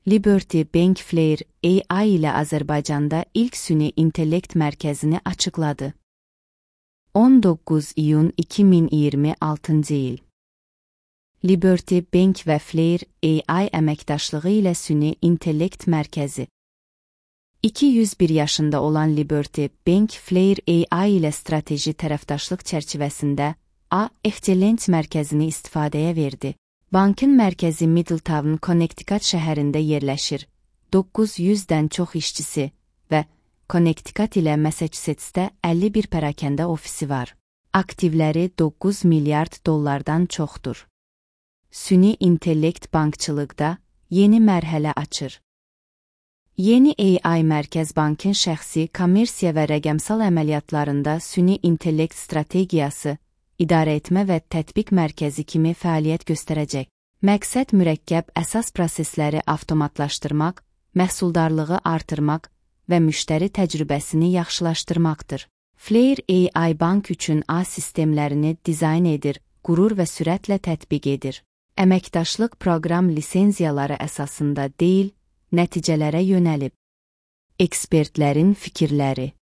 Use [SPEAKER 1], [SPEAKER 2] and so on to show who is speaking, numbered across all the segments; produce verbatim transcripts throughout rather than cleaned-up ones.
[SPEAKER 1] Liberty Bank Flare A I ilə Azərbaycanda ilk süni intellekt mərkəzini açıqladı. on doqquz iyun iki min iyirmi altıncı il. Liberty Bank və Flare A I əməkdaşlığı ilə süni intellekt mərkəzi. iki yüz bir yaşında olan Liberty Bank Flare A I ilə strateji tərəfdaşlıq çərçivəsində A Excellence mərkəzini istifadəyə verdi. Bankın mərkəzi Middletown, Connecticut şəhərində yerləşir. doqquz yüzdən çox işçisi və Connecticut ilə Massachusettsdə əlli bir pərakəndə ofisi var. Aktivləri doqquz milyard dollardan çoxdur. Süni intellekt bankçılıqda yeni mərhələ açır. Yeni A I mərkəz bankın şəxsi, kommersiya və rəqəmsal əməliyyatlarında süni intellekt strategiyası, idarəetmə və tətbiq mərkəzi kimi fəaliyyət göstərəcək. Məqsəd mürəkkəb əsas prosesləri avtomatlaşdırmaq, məhsuldarlığı artırmaq və müştəri təcrübəsini yaxşılaşdırmaqdır. Flare A I bank üçün A sistemlərini dizayn edir, qurur və sürətlə tətbiq edir. Əməkdaşlıq proqram lisenziyaları əsasında deyil, nəticələrə yönəlib. Ekspertlərin fikirləri.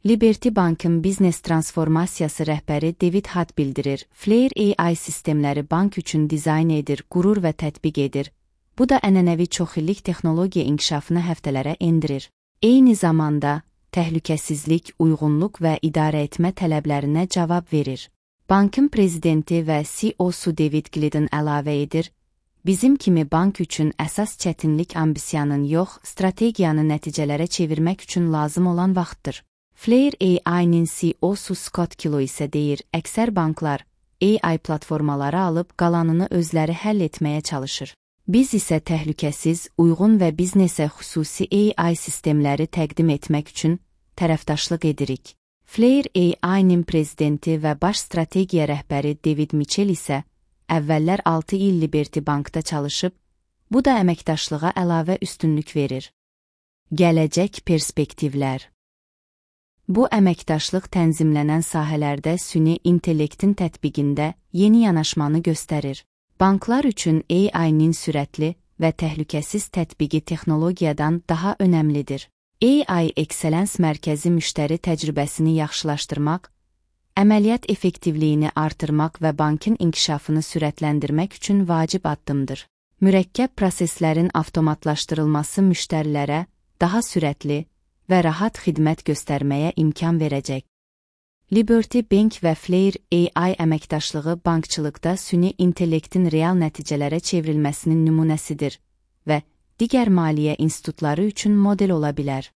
[SPEAKER 1] Liberty Bankın biznes transformasiyası rəhbəri David Hutt bildirir, Flare A I sistemləri bank üçün dizayn edir, qurur və tətbiq edir. Bu da ənənəvi çoxillik texnologiya inkişafını həftələrə endirir. Eyni zamanda, təhlükəsizlik, uyğunluq və idarəetmə tələblərinə cavab verir. Bankın prezidenti və C E O-su David Glidden əlavə edir, bizim kimi bank üçün əsas çətinlik ambisiyanın yox, strategiyanı nəticələrə çevirmək üçün lazım olan vaxtdır. Flare A I-nin C E O-su Scott Kilo isə deyir, əksər banklar A I platformaları alıb qalanını özləri həll etməyə çalışır. Biz isə təhlükəsiz, uyğun və biznesə xüsusi A I sistemləri təqdim etmək üçün tərəfdaşlıq edirik. Flare A I-nin prezidenti və baş strategiya rəhbəri David Mitchell isə əvvəllər altı il Liberty Bankda çalışıb, bu da əməkdaşlığa əlavə üstünlük verir. Gələcək perspektivlər. Bu əməkdaşlıq tənzimlənən sahələrdə süni intellektin tətbiqində yeni yanaşmanı göstərir. Banklar üçün A I-nin sürətli və təhlükəsiz tətbiqi texnologiyadan daha önəmlidir. A I Excellence mərkəzi müştəri təcrübəsini yaxşılaşdırmaq, əməliyyat effektivliyini artırmaq və bankın inkişafını sürətləndirmək üçün vacib addımdır. Mürəkkəb proseslərin avtomatlaşdırılması müştərilərə daha sürətli və rahat xidmət göstərməyə imkan verəcək. Liberty Bank və Flare A I əməkdaşlığı bankçılıqda süni intellektin real nəticələrə çevrilməsinin nümunəsidir və digər maliyyə institutları üçün model ola bilər.